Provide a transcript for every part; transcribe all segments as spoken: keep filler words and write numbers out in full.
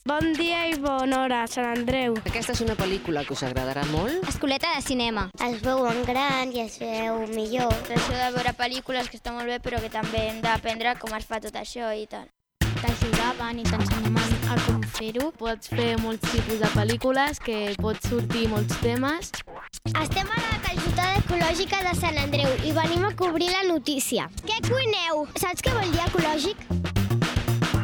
Bon dia i bona hora, Sant Andreu. Aquesta és una pel·lícula que us agradarà molt. Escoleta de cinema. Es veuen gran i es veu millor. Això de veure pel·lícules que està molt bé, però que també hem d'aprendre com es fa tot això i tal. T'ajudaven i t'ensenyaven a com fer-ho. Pots fer molts tipus de pel·lícules, que pots sortir molts temes. Estem a la calçotada ecològica de Sant Andreu i venim a cobrir la notícia. Què cuineu? Saps què vol dir ecològic?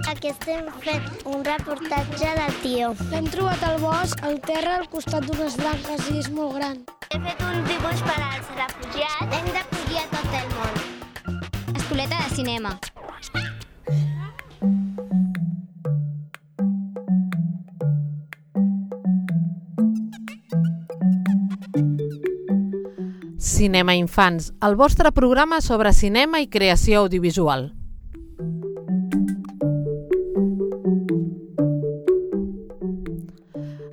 Aquí estem fent un reportatge de tio. L'hem trobat al bosc, al terra, al costat d'unes branques i és molt gran. He fet un dibuix per als refugiats. Hem d'acollir a tot el món. Escoleta de cinema. Cinema Infants, el vostre programa sobre cinema i creació audiovisual.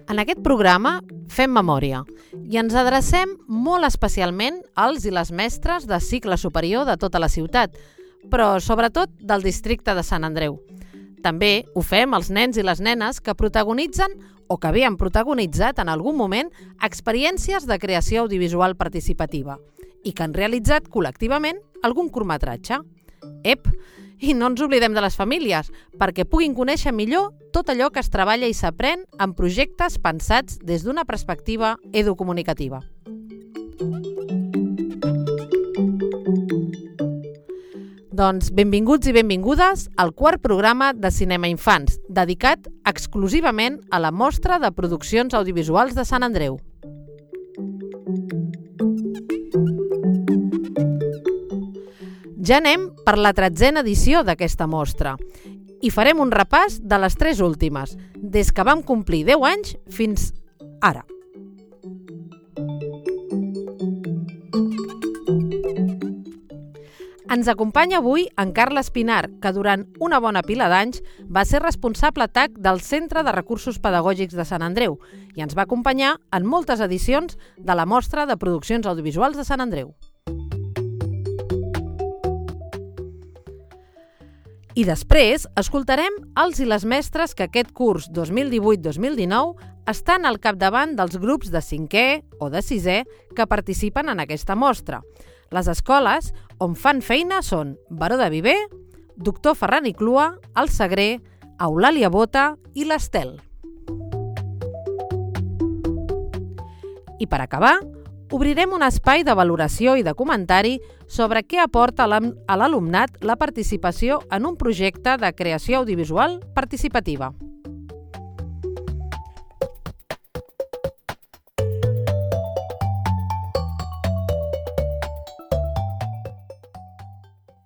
En aquest programa fem memòria i ens adrecem molt especialment als i les mestres de cicle superior de tota la ciutat, però sobretot del districte de Sant Andreu. També ho fem als nens i les nenes que protagonitzen o que havien protagonitzat en algun moment experiències de creació audiovisual participativa i que han realitzat col·lectivament algun curtmetratge. Ep! I no ens oblidem de les famílies, perquè puguin conèixer millor tot allò que es treballa i s'aprèn en projectes pensats des d'una perspectiva educomunicativa. Doncs benvinguts i benvingudes al quart programa de Cinema Infants, dedicat exclusivament a la mostra de produccions audiovisuals de Sant Andreu. Ja anem per la tretzena edició d'aquesta mostra i farem un repàs de les tres últimes, des que vam complir deu anys fins ara. Ens acompanya avui en Carles Pinar, que durant una bona pila d'anys va ser responsable T A C del Centre de Recursos Pedagògics de Sant Andreu i ens va acompanyar en moltes edicions de la mostra de produccions audiovisuals de Sant Andreu. I després escoltarem els i les mestres que aquest curs dos mil divuit dos mil dinou estan al capdavant dels grups de cinquè o de sisè que participen en aquesta mostra. Les escoles on fan feina són Baró de Viver, Doctor Ferran i Clua, el Sagrer, Eulàlia Bota i l'Estel. I per acabar, obrirem un espai de valoració i de comentari sobre què aporta a l'alumnat la participació en un projecte de creació audiovisual participativa.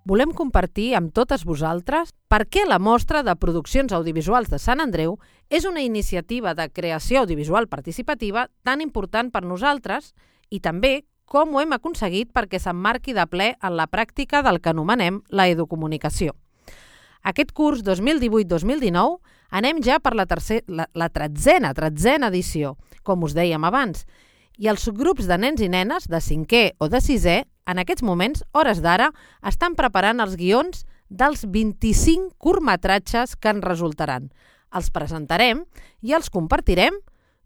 Volem compartir amb totes vosaltres per què la mostra de produccions audiovisuals de Sant Andreu és una iniciativa de creació audiovisual participativa tan important per nosaltres i també com ho hem aconseguit perquè s'emmarqui de ple en la pràctica del que anomenem la educomunicació. Aquest curs dos mil divuit dos mil dinou anem ja per la, tercer, la, la tretzena, tretzena edició, com us dèiem abans, i els subgrups de nens i nenes de cinquè o de sisè, en aquests moments, hores d'ara, estan preparant els guions dels vint-i-cinc curtmetratges que en resultaran. Els presentarem i els compartirem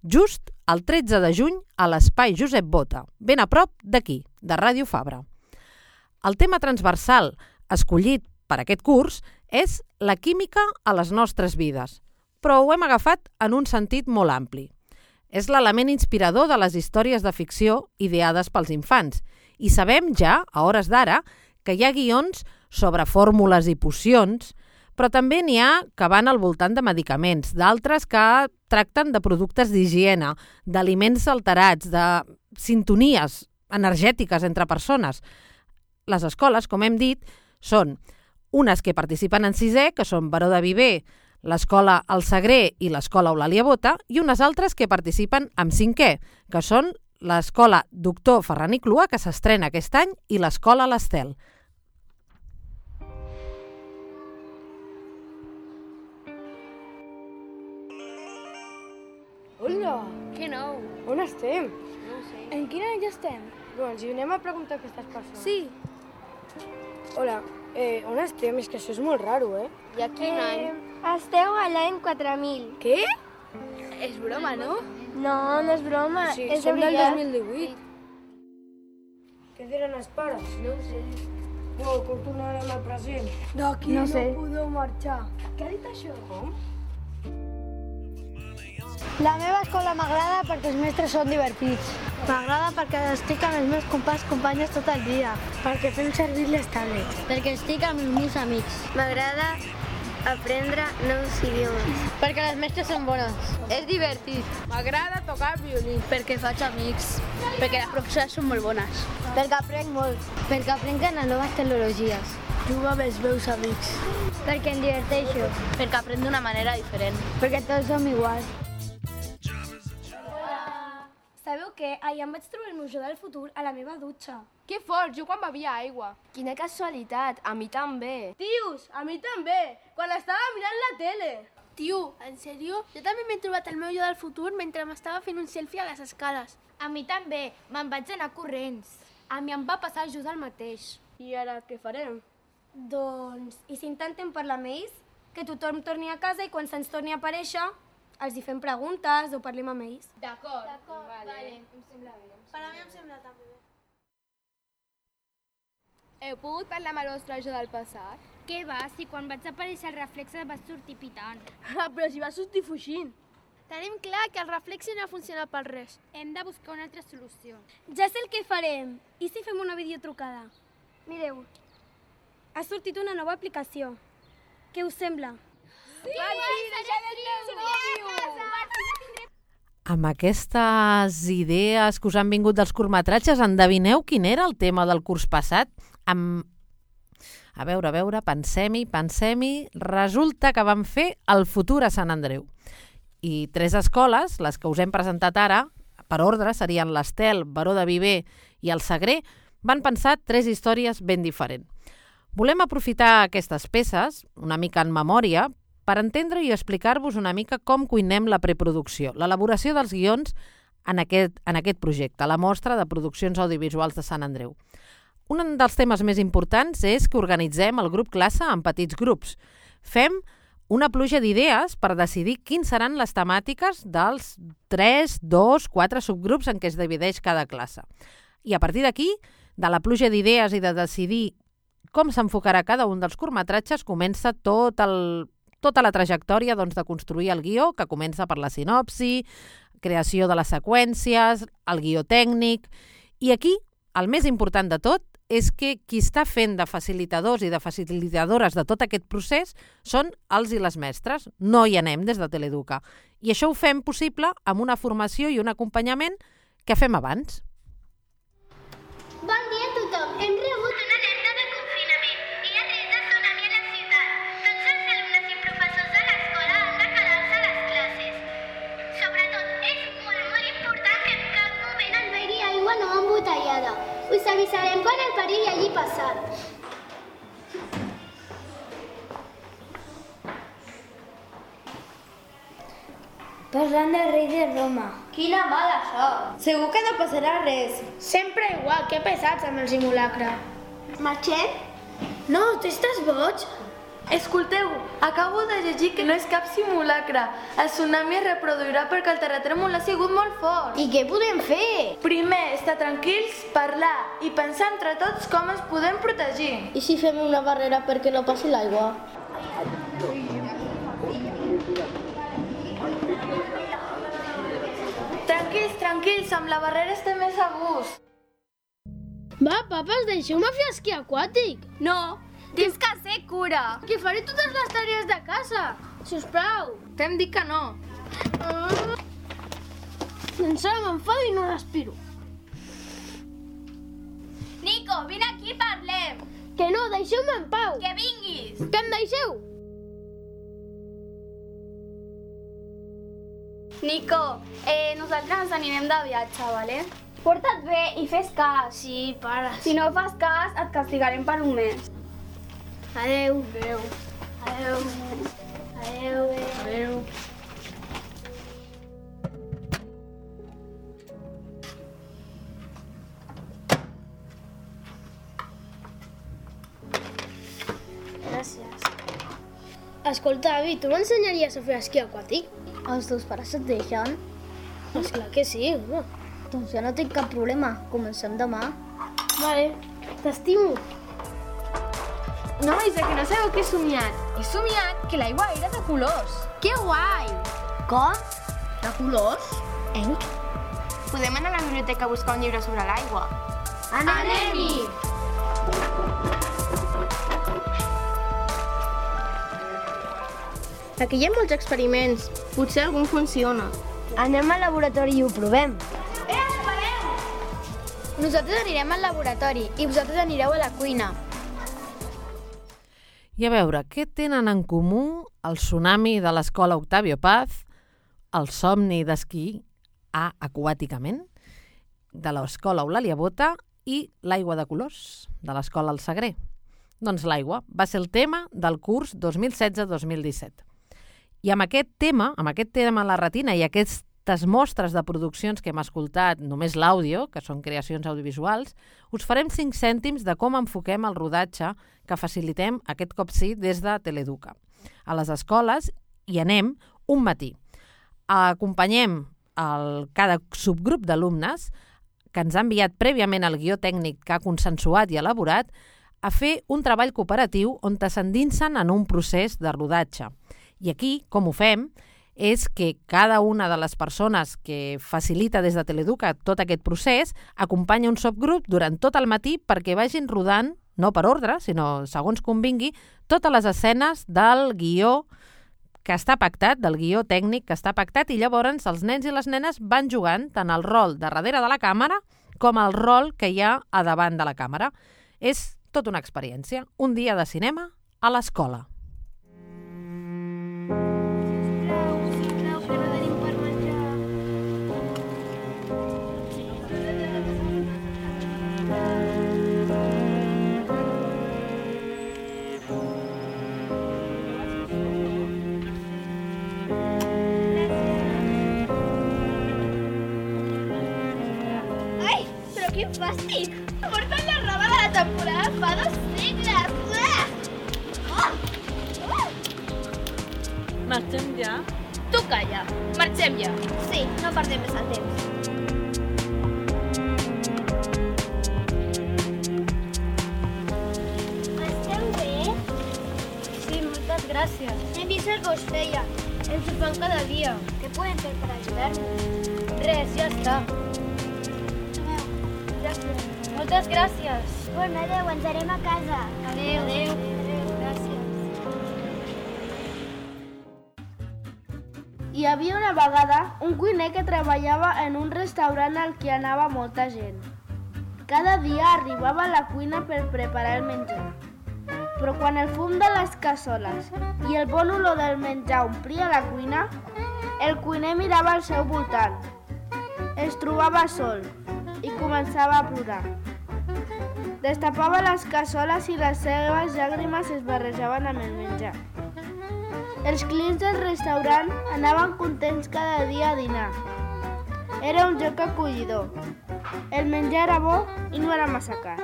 just el tretze de juny a l'Espai Josep Bota, ben a prop d'aquí, de Ràdio Fabra. El tema transversal escollit per aquest curs és la química a les nostres vides, però ho hem agafat en un sentit molt ampli. És l'element inspirador de les històries de ficció ideades pels infants i sabem ja, a hores d'ara, que hi ha guions sobre fórmules i pocions, però també n'hi ha que van al voltant de medicaments, d'altres que tracten de productes d'higiene, d'aliments alterats, de sintonies energètiques entre persones. Les escoles, com hem dit, són unes que participen en sisè, que són Baró de Viver, l'Escola El Sagrer i l'Escola Eulàlia Bota, i unes altres que participen en cinquè, que són l'Escola Doctor Ferran i Clua, que s'estrena aquest any, i l'Escola l'Estel. Hola! Que nou? On estem? No ho sé. En quin any estem? Doncs hi anem a preguntar a aquestes persones. Sí. Hola, eh, on estem? És que això és molt raro, eh? I a quin any? Esteu a a l'any quatre mil. Què? És broma, no? No, no és broma, Sí, és de som del veritat. dos mil divuit. Què diran els pares? No ho sé. No, com tornarem al present? D'aquí No no, sé. podeu marxar. Què ha dit això? Com? La meva escola m'agrada perquè els mestres són divertits. M'agrada perquè estic amb els meus companys companyes tot el dia. Perquè fem servir les tablets. Perquè estic amb els meus amics. M'agrada aprendre nous idiomes. Perquè les mestres són bones. És divertit. M'agrada tocar el violí. Perquè faig amics. Perquè les professores són molt bones. Perquè aprenc molt. Perquè aprenc a noves tecnologies. Jugo amb els meus amics. Perquè em diverteixo. Perquè aprenc d'una manera diferent. Perquè tots som iguals. Sabeu què? Ahir em vaig trobar el meu jo del futur a la meva dutxa. Que fort, jo quan bevia aigua. Quina casualitat, a mi també. Tios, a mi també, quan estava mirant la tele. Tio, en sèrio? Jo també m'he trobat el meu jo del futur mentre m'estava fent un selfie a les escales. A mi també, me'n vaig anar corrents. A mi em va passar just el mateix. I ara què farem? Doncs, i si intentem parlar amb ells? Que tothom torni a casa i quan se'ns torni a aparèixer, els hi fem preguntes o parlem amb ells. D'acord. D'acord, vale. vale. Em sembla bé. Per a mi em sembla també bé. Heu pogut parlar amb el vostre jo del passat? Què va, si quan vaig aparèixer el reflexe vas sortir pitant. Ah, però si va sortir fugint. Tenim clar que el reflexe no funciona per res. Hem de buscar una altra solució. Ja sé el que farem. I si fem una videotrucada? Mireu, ha sortit una nova aplicació. Què us sembla? Amb aquestes idees que us han vingut dels curtmetratges, endevineu quin era el tema del curs passat? Amb... A veure, a veure, pensem-hi, pensem-hi... Resulta que vam fer el futur a Sant Andreu. I tres escoles, les que us hem presentat ara, per ordre, serien l'Estel, Baró de Viver i el Sagrer, van pensar tres històries ben diferents. Volem aprofitar aquestes peces, una mica en memòria, per entendre i explicar-vos una mica com cuinem la preproducció, l'elaboració dels guions en aquest, en aquest projecte, la mostra de produccions audiovisuals de Sant Andreu. Un dels temes més importants és que organitzem el grup classe en petits grups. Fem una pluja d'idees per decidir quins seran les temàtiques dels tres, dos, quatre subgrups en què es divideix cada classe. I a partir d'aquí, de la pluja d'idees i de decidir com s'enfocarà cada un dels curtmetratges, comença tot el, tota la trajectòria doncs, de construir el guió, que comença per la sinopsi, creació de les seqüències, el guió tècnic. I aquí, el més important de tot, és que qui està fent de facilitadors i de facilitadores de tot aquest procés són els i les mestres. No hi anem des de Teleeduca. I això ho fem possible amb una formació i un acompanyament que fem abans. Bon dia a tothom. Hem rebut una alerta de confinament. Hi ha risc de tsunami a la ciutat. Tots els alumnes i professors de l'escola han de quedar-se a les classes. Sobretot, és molt, molt important que en cap moment el begui aigua no embotellada. Us avisarem quan el perill hagi passat. Parlant del rei de Roma. Quina mala sort. Segur que no passarà res. Sempre igual, que pesats amb el simulacre. Marxem? No, t'estàs boig? Escolteu, acabo de llegir que no és cap simulacre. El tsunami es reproduirà perquè el terratrèmol ha sigut molt fort. I què podem fer? Primer, estar tranquils, parlar i pensar entre tots com ens podem protegir. I si fem una barrera perquè no passi l'aigua? Tranquils, tranquils, amb la barrera estem més a gust. Va, papes, deixeu-me fer esquí aquàtic. No, tens que ser cura. Que faré totes les tarees de casa. Sisplau. T'hem dit que no. Ah. Encara m'enfado i no respiro. Nico, vine aquí i parlem. Que no, deixeu-me en pau. Que vinguis. Que em deixeu? Nico, eh, nosaltres ens anirem de viatge, vale? Porta't bé i fes cas. Sí, pares. Si no fas cas, et castigarem per un mes. Adeu. Adéu. Adeu. Adeu. Adéu. Gràcies. Escolta, avi, tu m'ensenyaries a fer esquí aquàtic? Els teus pares et deixen? Esclar que sí, home. Doncs ja no tinc cap problema. Comencem demà. Vale, t'estimo. Nois, que no sabeu què he somiat? He somiat que l'aigua era de colors. Que guai! Com? De colors? Enc? Podem anar a la biblioteca a buscar un llibre sobre l'aigua. Anem-hi! Aquí hi ha molts experiments. Potser algun funciona. Anem al laboratori i ho provem. Eh, espereu! Nosaltres anirem al laboratori i vosaltres anireu a la cuina. I a veure, què tenen en comú el tsunami de l'escola Octavio Paz, el somni d'esquí a aquàticament de l'escola Eulàlia Bota i l'aigua de colors de l'escola El Sagrer? Doncs l'aigua va ser el tema del curs dos mil setze dos mil disset. I amb aquest tema, amb aquest tema a la retina i aquestes mostres de produccions que hem escoltat, només l'àudio, que són creacions audiovisuals, us farem cinc cèntims de com enfoquem el rodatge que facilitem aquest cop sí des de Teleeduca. A les escoles hi anem un matí. Acompanyem el, cada subgrup d'alumnes que ens ha enviat prèviament el guió tècnic que ha consensuat i elaborat a fer un treball cooperatiu on s'endinsen en un procés de rodatge. I aquí, com ho fem, és que cada una de les persones que facilita des de Teleeduca tot aquest procés acompanya un subgrup durant tot el matí perquè vagin rodant, no per ordre, sinó segons convingui, totes les escenes del guió que està pactat, del guió tècnic que està pactat, i llavors els nens i les nenes van jugant tant el rol de darrere de la càmera com el rol que hi ha a davant de la càmera. És tota una experiència, un dia de cinema a l'escola. Quin fàstic! Porten la roba de la temporada fa dos segles! Oh! Oh! Marxem ja? Tu calla, marxem ja. Sí, no perdem més el temps. Esteu bé? Sí, moltes gràcies. Hem vist el que us feia. Ens ho fan cada dia. Què podem fer per ajudar-nos? Res, ja està. Moltes gràcies. Bueno, adeu, ens anem a casa. Adeu. Adeu. Adeu, gràcies. Hi havia una vegada un cuiner que treballava en un restaurant al que anava molta gent. Cada dia arribava a la cuina per preparar el menjar. Però quan el fum de les cassoles i el bon olor del menjar omplia la cuina, el cuiner mirava al seu voltant. Es trobava sol i començava a plorar. Destapava les cassoles i les seves llàgrimes es barrejaven amb el menjar. Els clients del restaurant anaven contents cada dia a dinar. Era un lloc acollidor. El menjar era bo i no era massa car.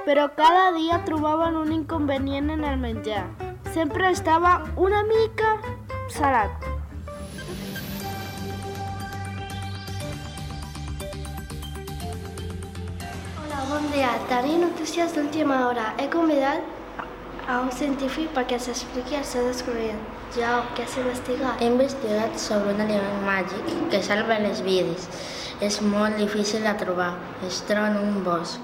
Però cada dia trobaven un inconvenient en el menjar. Sempre estava una mica salat. Bon dia, tenim notícies d'última hora. He convidat a un científic perquè s'expliqui el seu descobriment. Ja, què has investigat? He investigat sobre un aliment màgic que salva les vides. És molt difícil de trobar. Es troba en un bosc.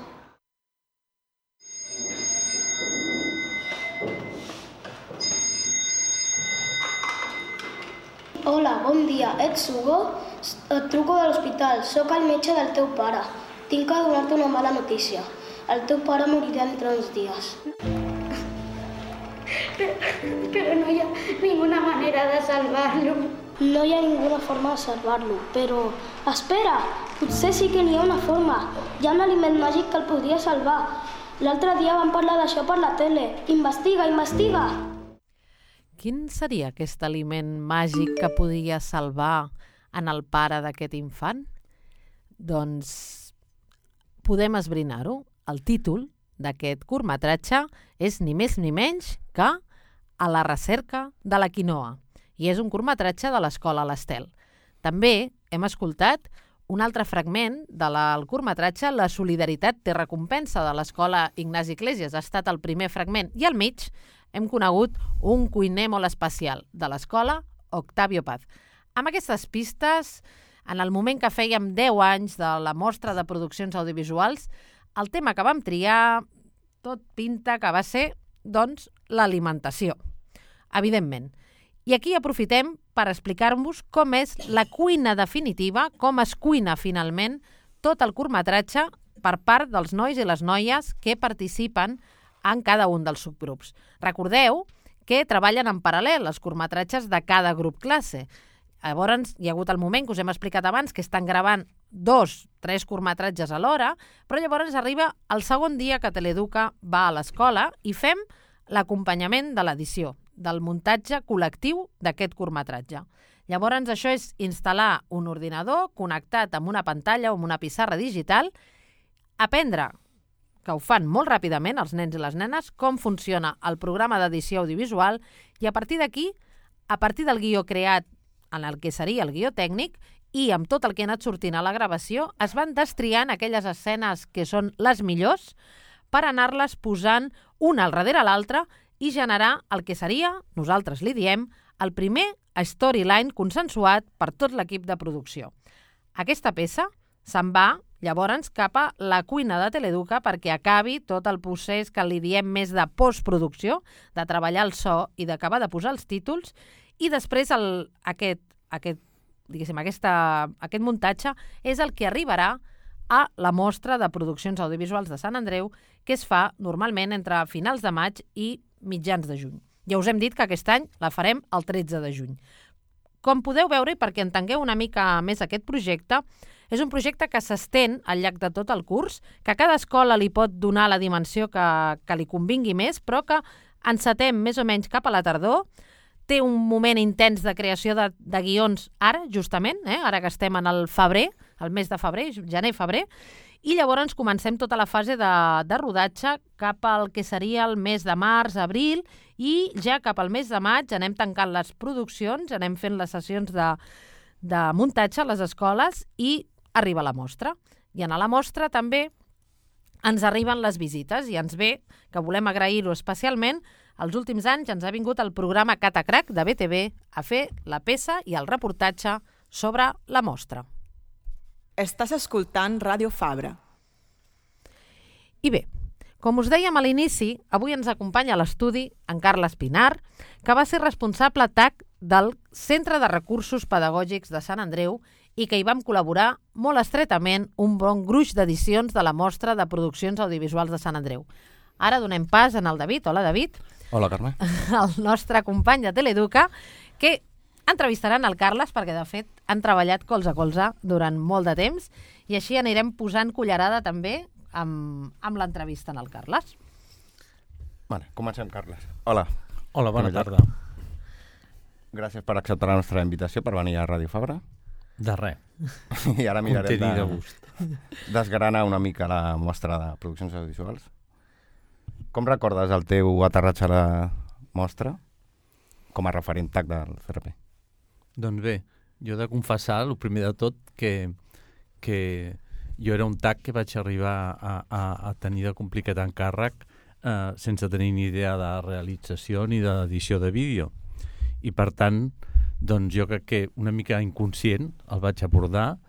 Hola, bon dia. Ets Hugo? Et truco de l'hospital. Soc el metge del teu pare. Tinc que donar-te una mala notícia. El teu pare morirà entre uns dies. Però, però no hi ha ninguna manera de salvar-lo. No hi ha ninguna forma de salvar-lo, però... Espera! Potser sí que n'hi ha una forma. Hi ha un aliment màgic que el podria salvar. L'altre dia vam parlar d'això per la tele. Investiga, investiga! Quin seria aquest aliment màgic que podia salvar en el pare d'aquest infant? Doncs podem esbrinar-ho. El títol d'aquest curtmetratge és ni més ni menys que A la recerca de la quinoa, i és un curtmetratge de l'Escola l'Estel. També hem escoltat un altre fragment del curtmetratge La solidaritat té recompensa, de l'Escola Ignasi Iglesias. Ha estat el primer fragment. I al mig hem conegut un cuiner molt especial de l'Escola Octavio Paz. Amb aquestes pistes, en el moment que fèiem deu anys de la mostra de produccions audiovisuals, el tema que vam triar tot pinta que va ser, doncs, l'alimentació, evidentment. I aquí aprofitem per explicar-vos com és la cuina definitiva, com es cuina finalment tot el curtmetratge per part dels nois i les noies que participen en cada un dels subgrups. Recordeu que treballen en paral·lel els curtmetratges de cada grup classe. Llavors, hi ha hagut el moment que us hem explicat abans que estan gravant dos, tres curtmetratges a l'hora, però llavors arriba el segon dia que Teleeduca va a l'escola i fem l'acompanyament de l'edició, del muntatge col·lectiu d'aquest curtmetratge. Llavors, això és instal·lar un ordinador connectat amb una pantalla o amb una pissarra digital, aprendre, que ho fan molt ràpidament els nens i les nenes, com funciona el programa d'edició audiovisual i a partir d'aquí, a partir del guió creat en el que seria el guió tècnic i amb tot el que ha anat sortint a la gravació, es van destriant aquelles escenes que són les millors per anar-les posant una al darrere l'altra i generar el que seria, nosaltres li diem, el primer storyline consensuat per tot l'equip de producció. Aquesta peça se'n va llavors cap a la cuina de Teleeduca perquè acabi tot el procés que li diem més de postproducció, de treballar el so i d'acabar de posar els títols, i després el, aquest, aquest, diguéssim, aquesta, aquest muntatge és el que arribarà a la mostra de produccions audiovisuals de Sant Andreu, que es fa normalment entre finals de maig i mitjans de juny. Ja us hem dit que aquest any la farem el tretze de juny. Com podeu veure, i perquè entengueu una mica més aquest projecte, és un projecte que s'estén al llarg de tot el curs, que a cada escola li pot donar la dimensió que, que li convingui més, però que encetem més o menys cap a la tardor. Té un moment intens de creació de, de guions ara, justament, eh? Ara que estem en el febrer, el mes de febrer, gener-febrer, i llavors comencem tota la fase de, de rodatge cap al que seria el mes de març, abril, i ja cap al mes de maig anem tancant les produccions, anem fent les sessions de, de muntatge a les escoles i arriba la mostra. I a la mostra també ens arriben les visites i ens ve, que volem agrair-ho especialment, els últims anys ens ha vingut el programa Catacrac de B T V a fer la peça i el reportatge sobre la mostra. Estàs escoltant Ràdio Fabra. I bé, com us dèiem a l'inici, avui ens acompanya a l'estudi en Carles Pinar, que va ser responsable T A C del Centre de Recursos Pedagògics de Sant Andreu i que hi vam col·laborar molt estretament un bon gruix d'edicions de la mostra de produccions audiovisuals de Sant Andreu. Ara donem pas en el David. Hola, David. Hola, Carme. El nostre company de Teleeduca, que entrevistaran el Carles perquè, de fet, han treballat colze a colze durant molt de temps i així anirem posant cullerada també amb, amb l'entrevista en el Carles. Vale, comencem, Carles. Hola. Hola, bona tarda. Gràcies per acceptar la nostra invitació per venir a Ràdio Fabra. De res. I ara mirarem de, de gust. desgranar una mica la mostra de produccions audiovisuals. Com recordes el teu aterratge a la mostra com a referent T A C del C R P? Doncs bé, jo he de confessar, el primer de tot, que, que jo era un T A C que vaig arribar a, a, a tenir de complicat encàrrec eh, sense tenir ni idea de realització ni d'edició de vídeo. I per tant, doncs jo crec que una mica inconscient el vaig abordar,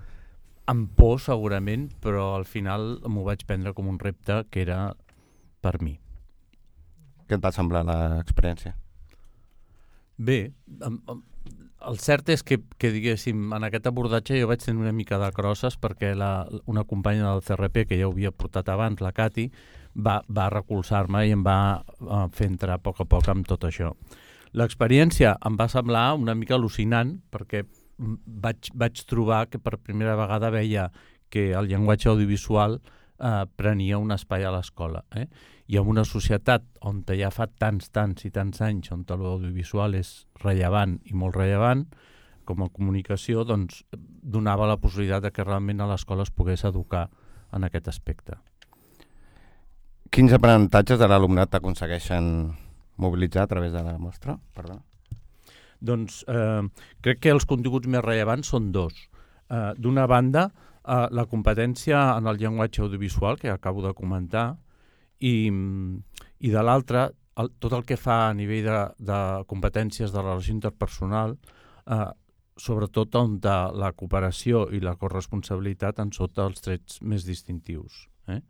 amb por segurament, però al final m'ho vaig prendre com un repte que era per mi. Què et va semblar l'experiència? Bé, el cert és que, que diguéssim, en aquest abordatge jo vaig tenir una mica de crosses perquè la, una companya del C R P que ja ho havia portat abans, la Cati, va, va recolzar-me i em va uh, fer entrar a poc a poc amb tot això. L'experiència em va semblar una mica al·lucinant perquè vaig, vaig trobar que per primera vegada veia que el llenguatge audiovisual eh, prenia un espai a l'escola. Eh? I en una societat on ja fa tants, tants i tants anys on l'audiovisual és rellevant i molt rellevant, com a comunicació, doncs donava la possibilitat de que realment a l'escola es pogués educar en aquest aspecte. Quins aprenentatges de l'alumnat aconsegueixen mobilitzar a través de la mostra? Perdona. Doncs eh, crec que els continguts més rellevants són dos. Eh, D'una banda, eh, la competència en el llenguatge audiovisual, que acabo de comentar, i, i de l'altra, el, tot el que fa a nivell de, de competències de relació interpersonal, eh, sobretot on de la cooperació i la corresponsabilitat en sota els trets més distintius. Eh?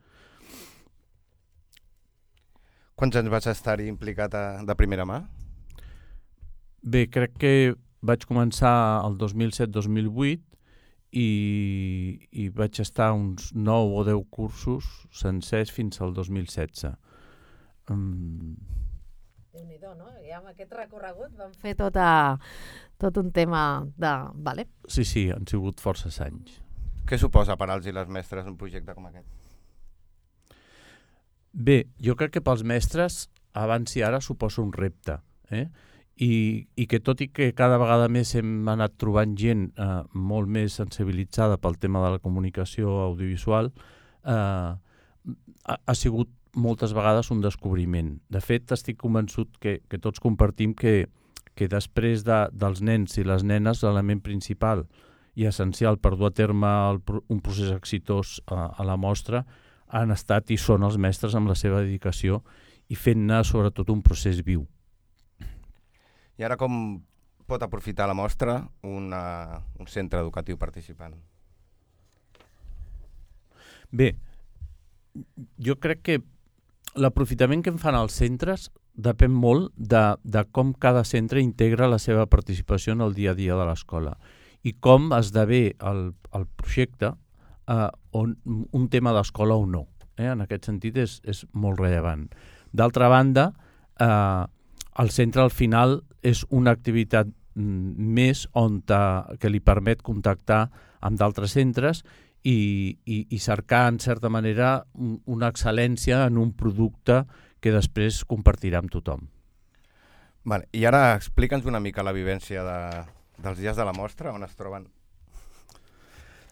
Quants anys vas estar-hi implicat a, de primera mà? Bé, crec que vaig començar el dos mil set dos mil vuit i, i vaig estar uns nou o deu cursos sencers fins al dos mil setze. Um... Déu-n'hi-do, no? I amb aquest recorregut vam fer tota, tot un tema de... Vale. Sí, sí, han sigut forces anys. Què suposa per als i les mestres un projecte com aquest? Bé, jo crec que pels mestres abans i ara suposa un repte, eh? I, i que tot i que cada vegada més hem anat trobant gent eh, molt més sensibilitzada pel tema de la comunicació audiovisual, eh, ha, ha sigut moltes vegades un descobriment. De fet, estic convençut que, que tots compartim que, que després de, dels nens i les nenes l'element principal i essencial per dur a terme el, un procés exitós a, a la mostra han estat i són els mestres amb la seva dedicació i fent-ne sobretot un procés viu. I ara com pot aprofitar la mostra una, un centre educatiu participant? Bé, jo crec que l'aprofitament que en fan els centres depèn molt de, de com cada centre integra la seva participació en el dia a dia de l'escola i com esdevé el, el projecte eh, on, un tema d'escola o no. Eh? En aquest sentit és, és molt rellevant. D'altra banda, eh, el centre al final és una activitat més on ta, que li permet contactar amb d'altres centres i, i, i cercar, en certa manera, un, una excel·lència en un producte que després compartirà amb tothom. Vale. I ara explica'ns una mica la vivència de, dels dies de la mostra, on es troben.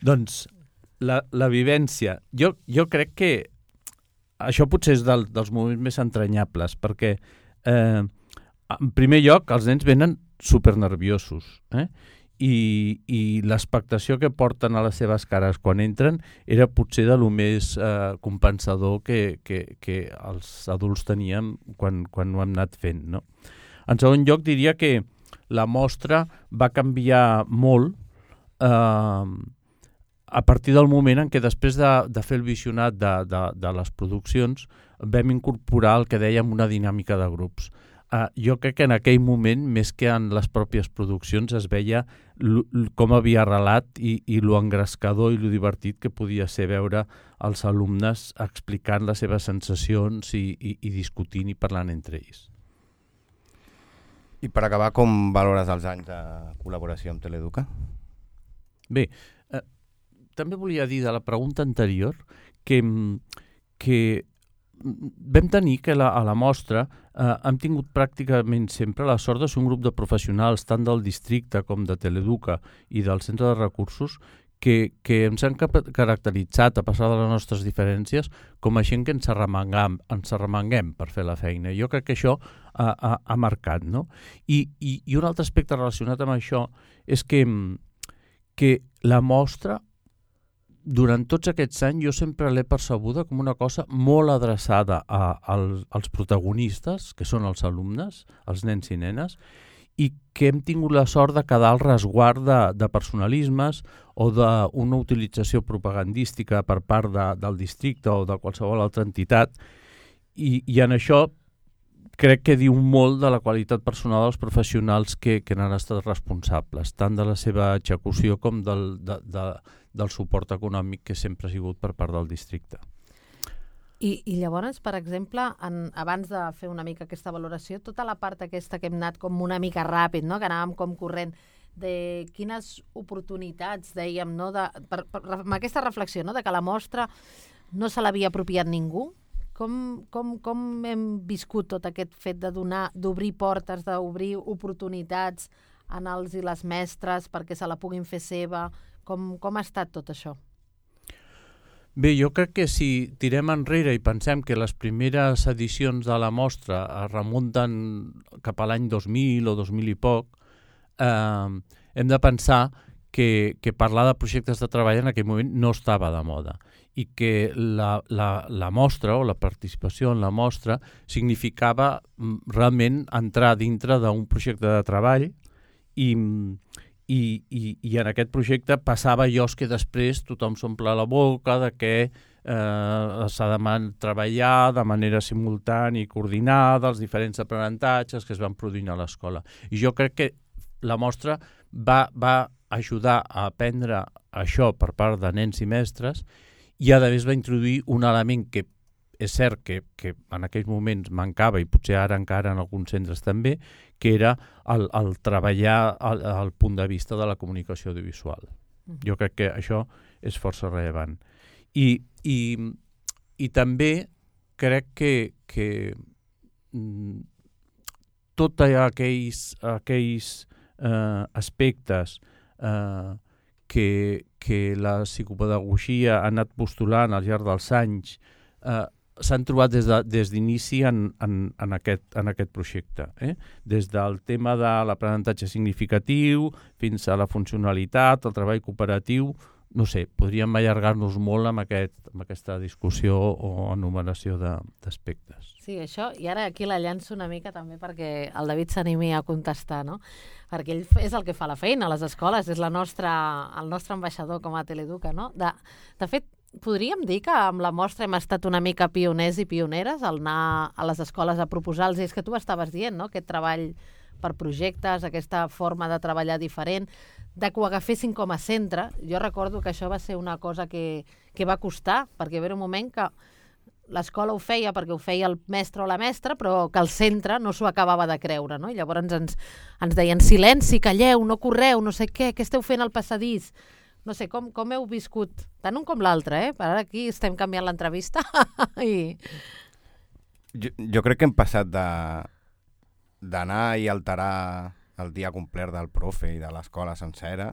Doncs la, la vivència, jo, jo crec que això potser és del, dels moments més entranyables, perquè eh, en primer lloc, els nens venen supernerviosos, eh? I, i l'expectació que porten a les seves cares quan entren era potser de lo més eh, compensador que, que, que els adults teníem quan, quan ho hem anat fent, no? En segon lloc, diria que la mostra va canviar molt eh, a partir del moment en què després de, de fer el visionat de, de, de les produccions vam incorporar el que dèiem una dinàmica de grups. Uh, jo crec que en aquell moment, més que en les pròpies produccions, es veia com havia arrelat i, i lo engrescador i lo divertit que podia ser veure els alumnes explicant les seves sensacions i, i, i discutint i parlant entre ells. I per acabar, com valores els anys de col·laboració amb Teleeduca? Bé, eh, també volia dir de la pregunta anterior que, que vam tenir que la, a la mostra eh, hem tingut pràcticament sempre la sort de ser un grup de professionals tant del districte com de Teleeduca i del centre de recursos que, que ens han caracteritzat, a passar de les nostres diferències, com a gent que ens arremanguem, ens arremanguem per fer la feina. Jo crec que això ha, ha, ha marcat, no? I, i, I un altre aspecte relacionat amb això és que, que la mostra durant tots aquests anys jo sempre l'he percebuda com una cosa molt adreçada a, a, als protagonistes, que són els alumnes, els nens i nenes, i que hem tingut la sort de quedar al resguard de, de personalismes o d'una utilització propagandística per part de, del districte o de qualsevol altra entitat, i, i en això crec que diu molt de la qualitat personal dels professionals que, que n'han estat responsables, tant de la seva execució com del, de, de, del suport econòmic que sempre ha sigut per part del districte. I, i llavors, per exemple, en, abans de fer una mica aquesta valoració, tota la part aquesta que hem anat com una mica ràpid, no? Que anàvem com corrent, de quines oportunitats, dèiem, no? de, per, per, amb aquesta reflexió, no? De que la mostra no se l'havia apropiat ningú, com, com, com hem viscut tot aquest fet de donar, d'obrir portes, d'obrir oportunitats en els i les mestres perquè se la puguin fer seva, com, com ha estat tot això? Bé, jo crec que si tirem enrere i pensem que les primeres edicions de la mostra es remunten cap a l'any dos mil o dos mil i poc, eh, hem de pensar que, que parlar de projectes de treball en aquell moment no estava de moda i que la, la, la mostra o la participació en la mostra significava realment entrar dintre d'un projecte de treball i... I, i, i en aquest projecte passava allò que després tothom s'omple la boca de que eh, s'ha de treballar de manera simultània i coordinada els diferents aprenentatges que es van produint a l'escola. I jo crec que la mostra va, va ajudar a aprendre això per part de nens i mestres i a més va introduir un element que és cert que, que en aquells moments mancava i potser ara encara en alguns centres també, que era el, el treballar el, el punt de vista de la comunicació audiovisual. Jo crec que això és força rellevant. I, i, i també crec que, que mm, tots aquells, aquells eh, aspectes eh, que, que la psicopedagogia ha anat postulant al llarg dels anys eh, s'han trobat des de, des d'inici en, en, en, aquest, en aquest projecte. Eh? Des del tema de l'aprenentatge significatiu fins a la funcionalitat, el treball cooperatiu, no sé, podríem allargar-nos molt amb, aquest, amb aquesta discussió o enumeració d'aspectes. Sí, això, i ara aquí la llanço una mica també perquè el David s'animi a contestar, no? Perquè ell és el que fa la feina a les escoles, és la nostra, el nostre ambaixador com a Teleeduca, no? De, de fet, podríem dir que amb la mostra hem estat una mica pioners i pioneres al anar a les escoles a proposar-los, és que tu estaves dient, no?, aquest treball per projectes, aquesta forma de treballar diferent, de que ho agafessin com a centre. Jo recordo que això va ser una cosa que, que va costar, perquè va haver un moment que l'escola ho feia perquè ho feia el mestre o la mestra, però que el centre no s'ho acabava de creure, no? I llavors ens, ens deien silenci, calleu, no correu, no sé què, què esteu fent al passadís? No sé, com, com heu viscut, tant un com l'altre, eh? Per ara aquí estem canviant l'entrevista. I... Jo, jo crec que hem passat de d'anar i alterar el dia complet del profe i de l'escola sencera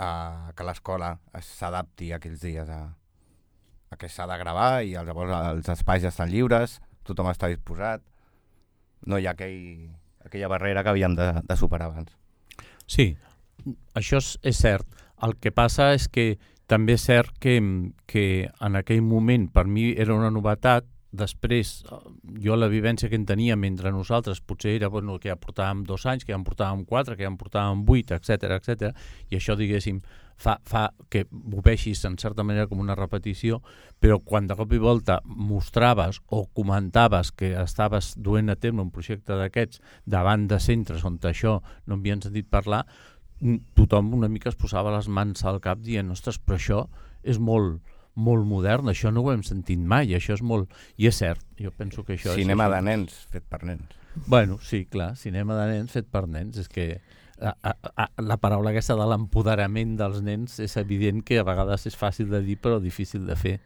a que l'escola s'adapti aquells dies a, a que s'ha de gravar i llavors els espais estan lliures, tothom està disposat, no hi ha aquell, aquella barrera que havíem de, de superar abans. Sí, això és, és cert. El que passa és que també és cert que, que en aquell moment per mi era una novetat. Després, jo la vivència que en teníem entre nosaltres potser era bueno, que ja portàvem dos anys, que ja en portàvem quatre, que ja en portàvem vuit, etcètera, etcètera. I això, diguéssim, fa, fa que ho veixis en certa manera com una repetició, però quan de cop i volta mostraves o comentaves que estaves duent a terme un projecte d'aquests davant de centres on això no havien sentit parlar, tothom una mica es posava les mans al cap dient, ostres, però això és molt, molt modern, això no ho hem sentit mai, això és molt... I és cert, jo penso que això... Cinema és de nens, fet per nens. Bueno, sí, clar, cinema de nens fet per nens, és que a, a, a, la paraula aquesta de l'empoderament dels nens és evident que a vegades és fàcil de dir però difícil de fer.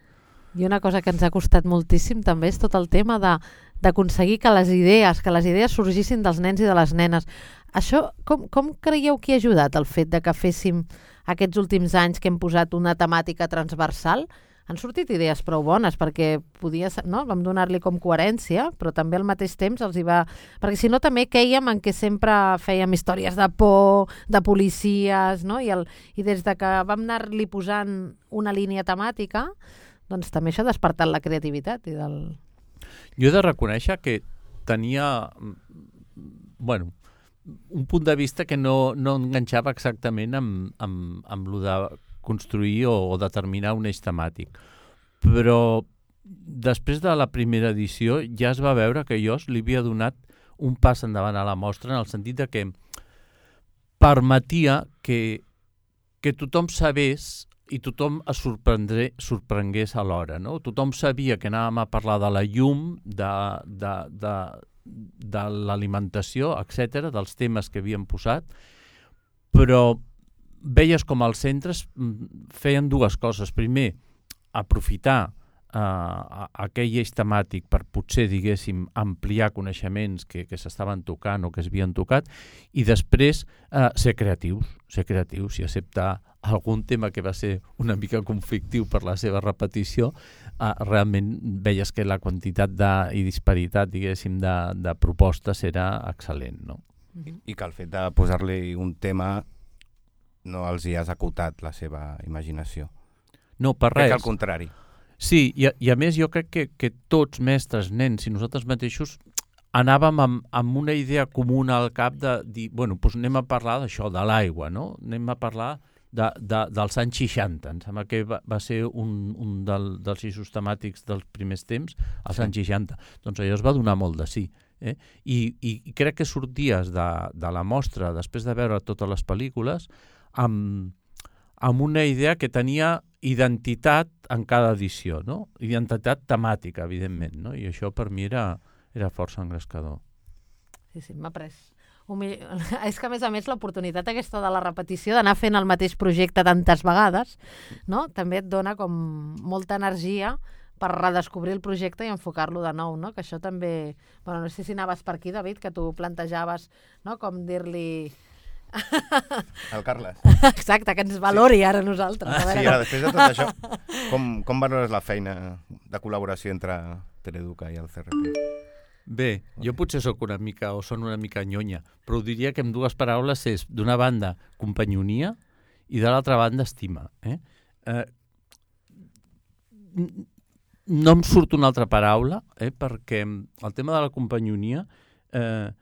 I una cosa que ens ha costat moltíssim també és tot el tema de d'aconseguir que les idees, que les idees sorgissin dels nens i de les nenes. Això, com, com creieu que ha ajudat el fet de que féssim aquests últims anys que hem posat una temàtica transversal? Han sortit idees prou bones perquè podia, no? Vam donar-li com coherència, però també al mateix temps els hi va... Perquè si no també quèiem en què sempre fèiem històries de por, de policies, no? I, el, i des de que vam anar-li posant una línia temàtica, doncs també això ha despertat la creativitat i del... Jo he de reconèixer que tenia, bueno, un punt de vista que no, no enganxava exactament amb, amb, amb lo de construir o, o determinar un eix temàtic. Però després de la primera edició ja es va veure que jo li havia donat un pas endavant a la mostra en el sentit de que permetia que, que tothom sabés i tothom es sorprengués alhora. No? Tothom sabia que anàvem a parlar de la llum, de, de, de, de l'alimentació, etcètera, dels temes que havíem posat, però veies com els centres feien dues coses. Primer, aprofitar uh, aquell eix temàtic per potser, diguéssim, ampliar coneixements que, que s'estaven tocant o que s'havien tocat, i després uh, ser creatius, ser creatius i acceptar algun tema que va ser una mica conflictiu per la seva repetició, eh, realment veies que la quantitat de, i disparitat, diguéssim, de, de propostes era excel·lent, no? I que el fet de posar-li un tema no els hi has acotat la seva imaginació. No, per res. Crec que al contrari. Sí, i a, i a més jo crec que, que tots, mestres, nens i nosaltres mateixos, anàvem amb, amb una idea comuna al cap de dir, bueno, doncs anem a parlar d'això, de l'aigua, no? Anem a parlar de, de, dels anys seixanta. Em sembla que va, va ser un, un del, dels eixos temàtics dels primers temps, als sí. anys seixanta. Doncs allò es va donar molt de sí. Eh? I, i, I crec que sorties de, de la mostra, després de veure totes les pel·lícules, amb, amb una idea que tenia identitat en cada edició, no? Identitat temàtica, evidentment, no? I això per mi era, era força engrescador. Sí, sí, m'ha pres. Humil... És que, a més a més, l'oportunitat aquesta de la repetició, d'anar fent el mateix projecte tantes vegades, no? També et dona com molta energia per redescobrir el projecte i enfocar-lo de nou, no? Que això també... Bueno, no sé si anaves per aquí, David, que tu plantejaves, no? Com dir-li... El Carles. Exacte, que ens valori sí. ara nosaltres. Ah, sí, ara, després de tot això, com, com valores la feina de col·laboració entre Teleeduca i el C R P? Bé, jo potser sóc una mica, o són una mica nyonya, però diria que amb dues paraules és, d'una banda, companyonia i de l'altra banda, estima. Eh? Eh, no em surt una altra paraula, eh, perquè el tema de la companyonia eh,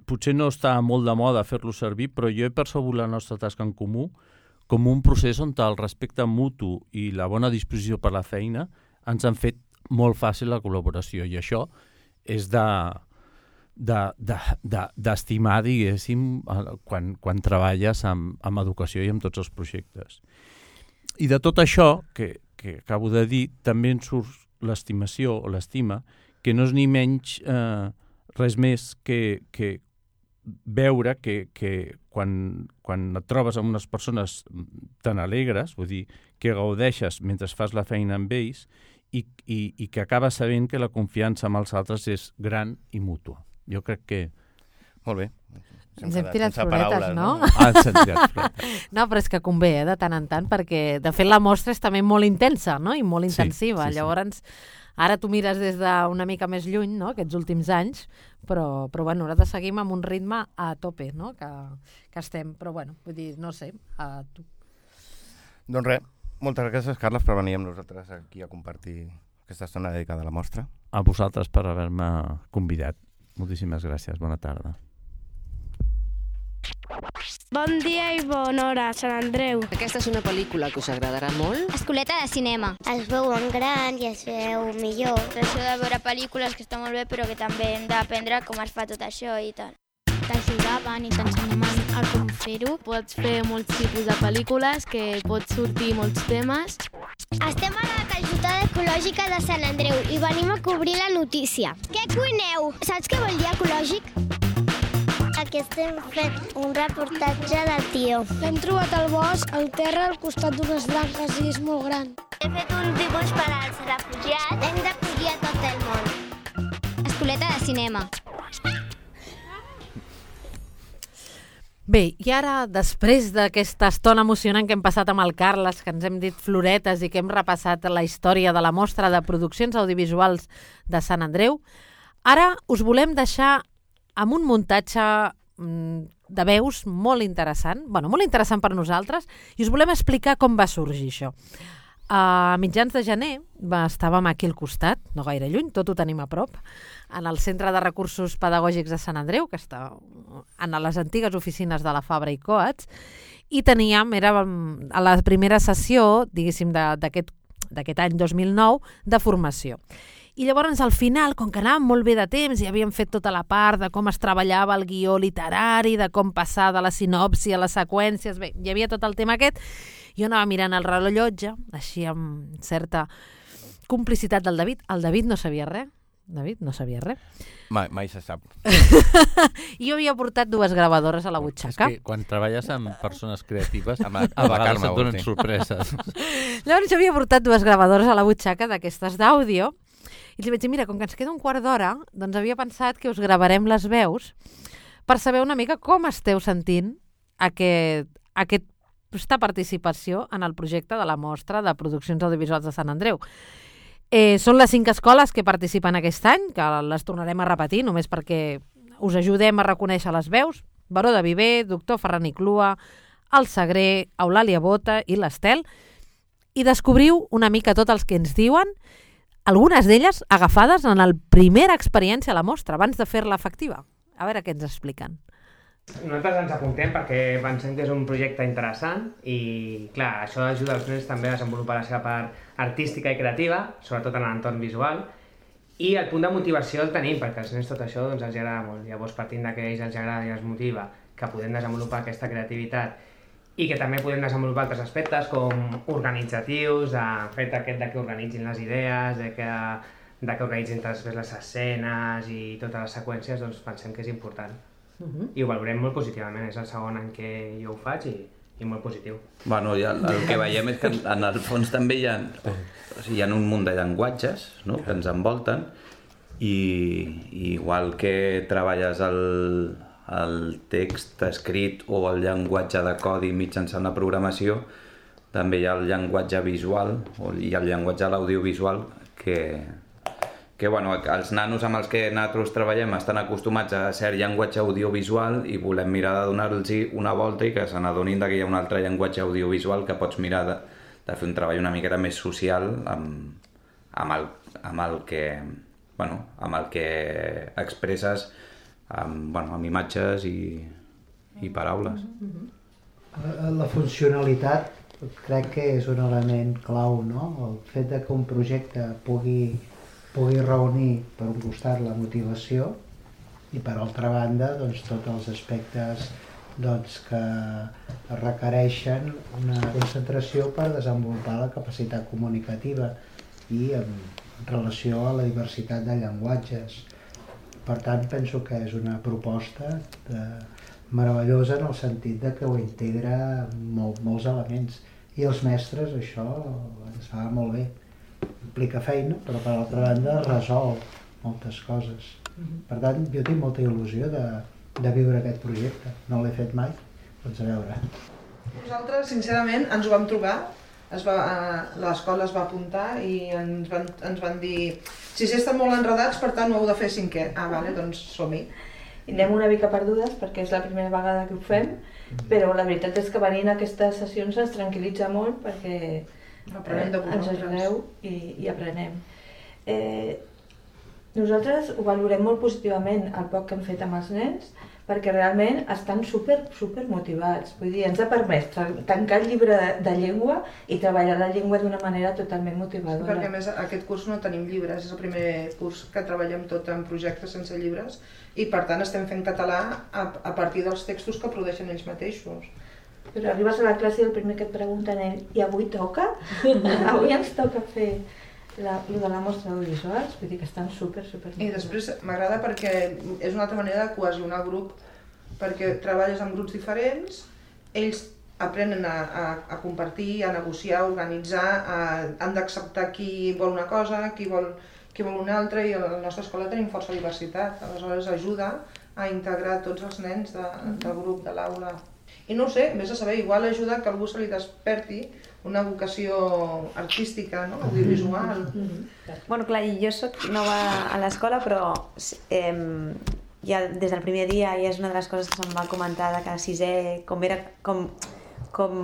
potser no està molt de moda fer-lo servir, però jo he percebut la nostra tasca en comú com un procés on el respecte mutu i la bona disposició per la feina ens han fet molt fàcil la col·laboració, i això és de d'estimar, de, de, diguéssim, quan, quan treballes amb, amb educació i amb tots els projectes. I de tot això que, que acabo de dir, també en surt l'estimació o l'estima, que no és ni menys eh, res més que, que veure que, que quan, quan et trobes amb unes persones tan alegres, vull dir, que gaudeixes mentre fas la feina amb ells i, i, i que acabes sabent que la confiança amb els altres és gran i mútua. Jo crec que... Molt bé. Ens hem tirat floretes, paraules, no? no? Ah, ens hem tirat floretes. No, però és que convé, eh, de tant en tant, perquè de fet la mostra és també molt intensa, no? I molt intensiva. Sí, sí, Llavors, sí. Ara tu mires des d'una mica més lluny, no?, aquests últims anys, però, però bueno, nosaltres seguim amb un ritme a tope, no?, que, que estem. Però bueno, vull dir, no sé, a tu. Doncs res, moltes gràcies, Carles, per venir amb nosaltres aquí a compartir aquesta estona dedicada a la mostra. A vosaltres per haver-me convidat. Moltíssimes gràcies, bona tarda. Bon dia i bona hora, Sant Andreu. Aquesta és una pel·lícula que us agradarà molt. Escoleta de cinema. Es veu en gran i es veu millor. Això de veure pel·lícules que està molt bé, però que també hem d'aprendre com es fa tot això i tal. T'ajudaven i t'ensenyaven a com fer-ho. Pots fer molts tipus de pel·lícules, que pots sortir molts temes. Estem a la calçotada ecològica de Sant Andreu i venim a cobrir la notícia. Què cuineu? Saps què vol dir ecològic? Aquí estem fent un reportatge del tió. L'hem trobat al bosc, al terra, al costat d'unes branques i és molt gran. He fet un dibuix per als refugiats. Hem d'acollir a tot el món. Escoleta de cinema. Bé, i ara, després d'aquesta estona emocionant que hem passat amb el Carles, que ens hem dit floretes i que hem repassat la història de la mostra de produccions audiovisuals de Sant Andreu, ara us volem deixar amb un muntatge de veus molt interessant, bueno, molt interessant per nosaltres, i us volem explicar com va sorgir això. A mitjans de gener estàvem aquí al costat, no gaire lluny, tot ho tenim a prop, en el Centre de Recursos Pedagògics de Sant Andreu, que està en les antigues oficines de la Fabra i Coats, i teníem, era a la primera sessió, diguéssim, d'aquest d'aquest any dos mil nou, de formació. I llavors, al final, com que anàvem molt bé de temps i havíem fet tota la part de com es treballava el guió literari, de com passar de la sinopsi a les seqüències, bé, hi havia tot el tema aquest, jo anava mirant el rellotge, així amb certa complicitat del David. El David no sabia res. David no sabia res. Mai, mai se sap. I jo havia portat dues gravadores a la butxaca. És que quan treballes amb persones creatives, a, a vegades et donen sorpreses. Llavors jo havia portat dues gravadores a la butxaca d'aquestes d'àudio, i li vaig dir, mira, com que ens queda un quart d'hora, doncs havia pensat que us gravarem les veus per saber una mica com esteu sentint aquest, aquest vostra participació en el projecte de la Mostra de Produccions Audiovisuals de Sant Andreu. Eh, són les cinc escoles que participen aquest any, que les tornarem a repetir, només perquè us ajudem a reconèixer les veus. Baró de Viver, Doctor Ferran i Clua, el Sagrer, Eulàlia Bota i l'Estel, i descobriu una mica tots els que ens diuen, algunes d'elles agafades en la primera experiència a la mostra, abans de fer-la efectiva. A veure què ens expliquen. Nosaltres ens apuntem perquè pensem que és un projecte interessant i, clar, això ajuda els nens també a desenvolupar la seva part artística i creativa, sobretot en l'entorn visual, i el punt de motivació el tenim, perquè als nens tot això doncs, els agrada molt. Llavors, partint que a ells els agrada i els motiva que podem desenvolupar aquesta creativitat i que també podem desenvolupar altres aspectes com organitzatius, el fet aquest de que organitzin les idees, de que, de que organitzin després les escenes i totes les seqüències, doncs pensem que és important. Uh-huh. I ho valorem molt positivament, és el segon any que jo ho faig i, i molt positiu. Bueno, ja, el que veiem és que en el fons també hi ha, o sigui, hi ha un munt de llenguatges, no?, que ens envolten i, i igual que treballes el, el text escrit o el llenguatge de codi mitjançant la programació, també hi ha el llenguatge visual i el llenguatge de l'audiovisual que, que bueno, els nanos amb els que nosaltres treballem estan acostumats a cert llenguatge audiovisual i volem mirar de donar-los una volta i que se n'adonin que hi ha un altre llenguatge audiovisual que pots mirar de, de fer un treball una miqueta més social amb, amb, el, amb, el que, bueno, amb el que expresses amb, bueno, amb imatges i, i paraules. La funcionalitat crec que és un element clau, no? El fet de que un projecte pugui, pugui reunir per un costat la motivació i per altra banda doncs, tots els aspectes doncs, que requereixen una concentració per desenvolupar la capacitat comunicativa i en relació a la diversitat de llenguatges. Per tant, penso que és una proposta de, meravellosa en el sentit de que ho integra molt, molts elements. I els mestres això ens fa molt bé. Implica feina, però per altra banda resol moltes coses. Per tant, jo tinc molta il·lusió de, de viure aquest projecte. No l'he fet mai, doncs a veure. Nosaltres, sincerament, ens ho vam trobar. L'escola es va apuntar i ens van, ens van dir sisè estan molt enredats, per tant ho heu de fer cinquè. Ah, vale, doncs som-hi. I anem una mica perdudes perquè és la primera vegada que ho fem, però la veritat és que venint a aquestes sessions ens tranquil·litza molt perquè eh, ens ajudeu i, i aprenem. Eh, nosaltres ho valorem molt positivament el poc que hem fet amb els nens perquè realment estan super, super motivats. Vull dir, ens ha permès tancar el llibre de, de llengua i treballar la llengua d'una manera totalment motivadora. Perquè a més aquest curs no tenim llibres, és el primer curs que treballem tot en projectes sense llibres i per tant estem fent català a, a partir dels textos que produeixen ells mateixos. Però arribes a la classe i el primer que et pregunten és i avui toca? Avui ens toca fer la, de la mostra audiovisuals, vull dir que estan super, super... I després m'agrada perquè és una altra manera de cohesionar el grup, perquè treballes amb grups diferents, ells aprenen a, a, a compartir, a negociar, a organitzar, a, han d'acceptar qui vol una cosa, qui vol, qui vol una altra, i a la nostra escola tenim força diversitat, aleshores ajuda a integrar tots els nens de, del grup, de l'aula. I no ho sé, vés a saber, igual ajuda que algú se li desperti una vocació artística, no? Audiovisual. Mm-hmm. Bueno, clar, jo soc nova a l'escola, però eh, ja des del primer dia ja és una de les coses que se'm va comentar de que a sisè, com era com, com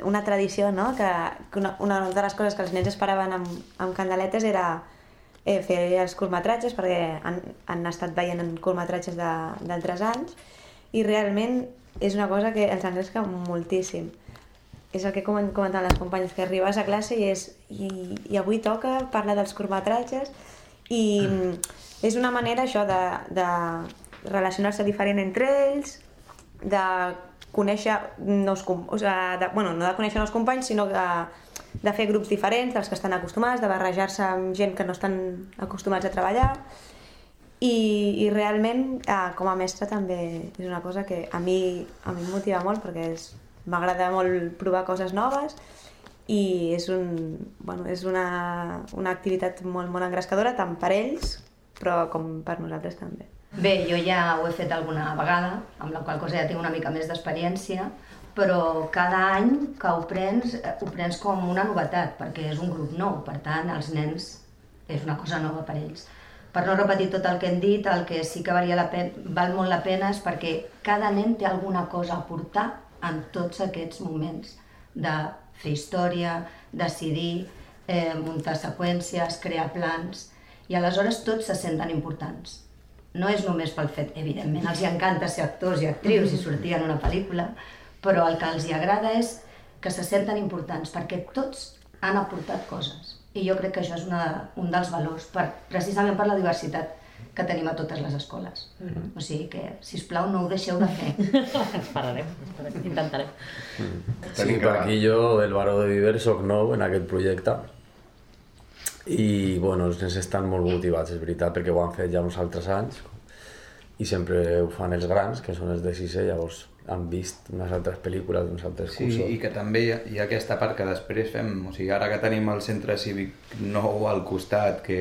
una tradició, no? Que, que una, una de les coses que els nens esperaven amb, amb candeletes era eh, fer els curtmetratges, perquè han, han estat veient curtmetratges d'altres anys, i realment és una cosa que els engresca moltíssim. És el que comentaven les companyes, que arribes a classe i, és, i, i avui toca parlar dels curtmetratges i és una manera això de, de relacionar-se diferent entre ells, de conèixer nous companys, o sigui, de, bueno, no de conèixer nous companys, sinó de, de fer grups diferents dels que estan acostumats, de barrejar-se amb gent que no estan acostumats a treballar. I, i realment, eh, com a mestra també és una cosa que a mi, a mi em motiva molt perquè és, m'agrada molt provar coses noves i és, un, bueno, és una, una activitat molt, molt engrescadora tant per ells però com per nosaltres també. Bé, jo ja ho he fet alguna vegada, amb la qual cosa ja tinc una mica més d'experiència, però cada any que ho prens, ho prens com una novetat, perquè és un grup nou, per tant, els nens és una cosa nova per ells. Per no repetir tot el que hem dit, el que sí que valia la pena, val molt la pena és perquè cada nen té alguna cosa a aportar en tots aquests moments de fer història, decidir, eh, muntar seqüències, crear plans, i aleshores tots se senten importants. No és només pel fet, evidentment, els hi encanta ser actors i actrius i sortir en una pel·lícula, però el que els hi agrada és que se senten importants, perquè tots han aportat coses. I jo crec que això és una, un dels valors, per, precisament per la diversitat que tenim a totes les escoles. Mm-hmm. O sigui que, sisplau, no ho deixeu de fer. Esperarem, intentarem. Mm. Sí, per aquí jo, el Baró de Viver, soc nou en aquest projecte. I, bueno, els nens estan molt motivats, és veritat, perquè ho han fet ja uns altres anys. I sempre ho fan els grans, que són els de sisè, llavors han vist unes altres pel·lícules d'uns altres sí, cursos. I que també hi ha, hi ha aquesta part que després fem, o sigui, ara que tenim el centre cívic nou al costat, que,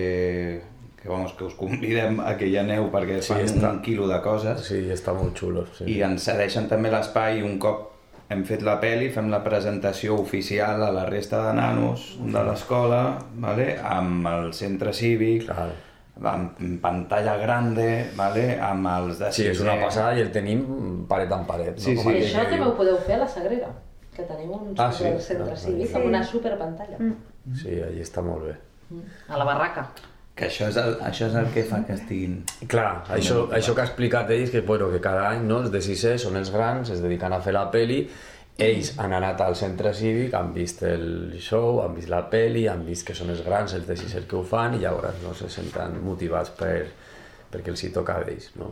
que, vamos, que us convidem a que hi aneu perquè sí, fan està, un quilo de coses. Sí, està molt xulo. Sí. I ens cedeixen també l'espai, un cop hem fet la pel·li, fem la presentació oficial a la resta de nanos de l'escola, vale? Amb el centre cívic, claro. Amb pantalla grande, vale? Amb els de sí, és una passada i el tenim paret en paret. Sí, no? sí. I això també ho podeu fer a la Sagrera, que tenim un ah, sí? centre no, cívic no, amb una superpantalla. Mm. Sí, allí està molt bé. A la barraca. Que això és el, això és el que fa que estiguin... Clar, això, això que ha explicat ells, que, bueno, que cada any no, els de sisè són els grans, es dediquen a fer la peli. Ells han anat al centre cívic, han vist el show, han vist la peli, han vist que són els grans, els de sisè que ho fan, i llavors no se senten motivats per, perquè els hi toca a ells, no?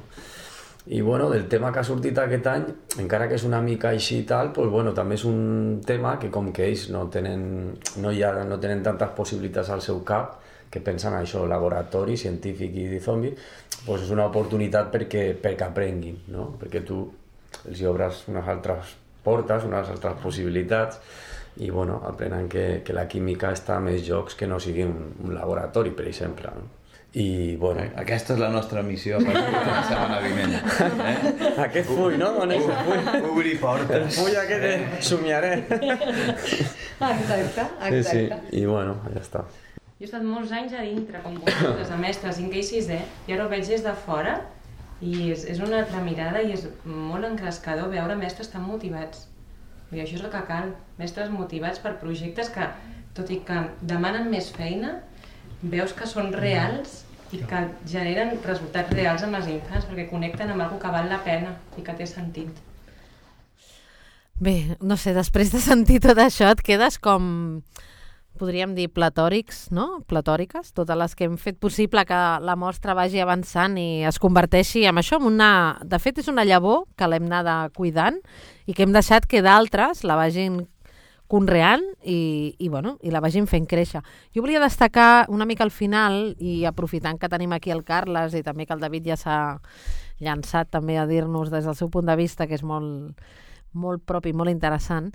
I bueno, del tema que ha sortit aquest any, encara que és una mica així i tal, pues, bueno, també és un tema que com que ells no tenen, no hi ha, no tenen tantes possibilitats al seu cap, que pensen això, laboratori, científic i de zombi, pues és una oportunitat perquè, perquè aprenguin, no? Perquè tu els hi obres unes altres portes, unes altres possibilitats, i bueno, aprenen que, que la química està a més jocs que no sigui un, un laboratori, per exemple. No? I, bueno... Aquesta és la nostra missió per la setmana vinent. Eh? Aquest full, no? On és el full? Obrir portes. El full aquest de somiaré. Exacte, exacte. Sí, sí, i bueno, ja està. Jo he estat molts anys a dintre, com vosaltres, a mestre, cinquè i sisè, i ara ho veig des de fora, i és, és una altra mirada i és molt encrescador veure mestres tan motivats. I això és el que cal, mestres motivats per projectes que, tot i que demanen més feina, veus que són reals i que generen resultats reals amb els infants, perquè connecten amb alguna que val la pena i que té sentit. Bé, no sé, després de sentir tot això et quedes com... podríem dir platòrics, no? Platòriques, totes les que hem fet possible que la mostra vagi avançant i es converteixi en això, en una... De fet, és una llavor que l'hem anat cuidant i que hem deixat que d'altres la vagin conreant i, i, bueno, i la vagin fent créixer. Jo volia destacar una mica al final, i aprofitant que tenim aquí el Carles i també que el David ja s'ha llançat també a dir-nos des del seu punt de vista, que és molt, molt propi i molt interessant,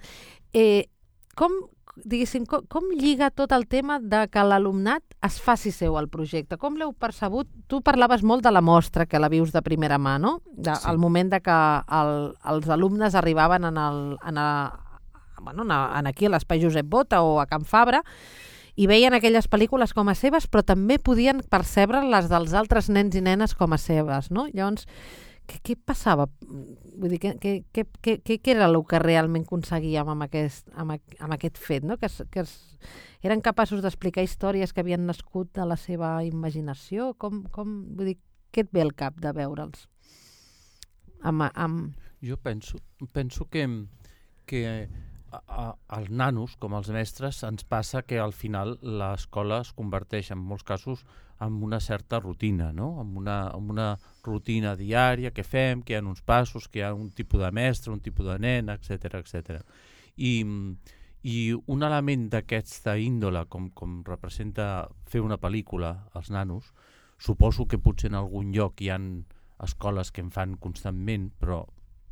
eh, com... diguéssim, com, com lliga tot el tema de que l'alumnat es faci seu al projecte? Com l'heu percebut? Tu parlaves molt de la mostra, que la vius de primera mà, no? De, sí. El moment de que el, els alumnes arribaven en, el, en, a, bueno, en aquí a l'Espai Josep Bota o a Can Fabra i veien aquelles pel·lícules com a seves, però també podien percebre les dels altres nens i nenes com a seves, no? Llavors, què, què passava? Vull dir, què, què, què, què era el que realment aconseguíem amb aquest, amb, amb aquest fet, no? Que, es, que es, eren capaços d'explicar històries que havien nascut de la seva imaginació? Com, com, vull dir, què et ve al cap de veure'ls? Amb, amb... Jo penso, penso que, que a, a, als nanos, com als mestres, ens passa que al final l'escola es converteix en molts casos en una certa rutina, no? Amb una, amb una rutina diària que fem, que hi ha uns passos, que hi ha un tipus de mestre, un tipus de nen, etcètera, etcètera. I, i un element d'aquesta índole, com, com representa fer una pel·lícula als nanos, suposo que potser en algun lloc hi ha escoles que en fan constantment, però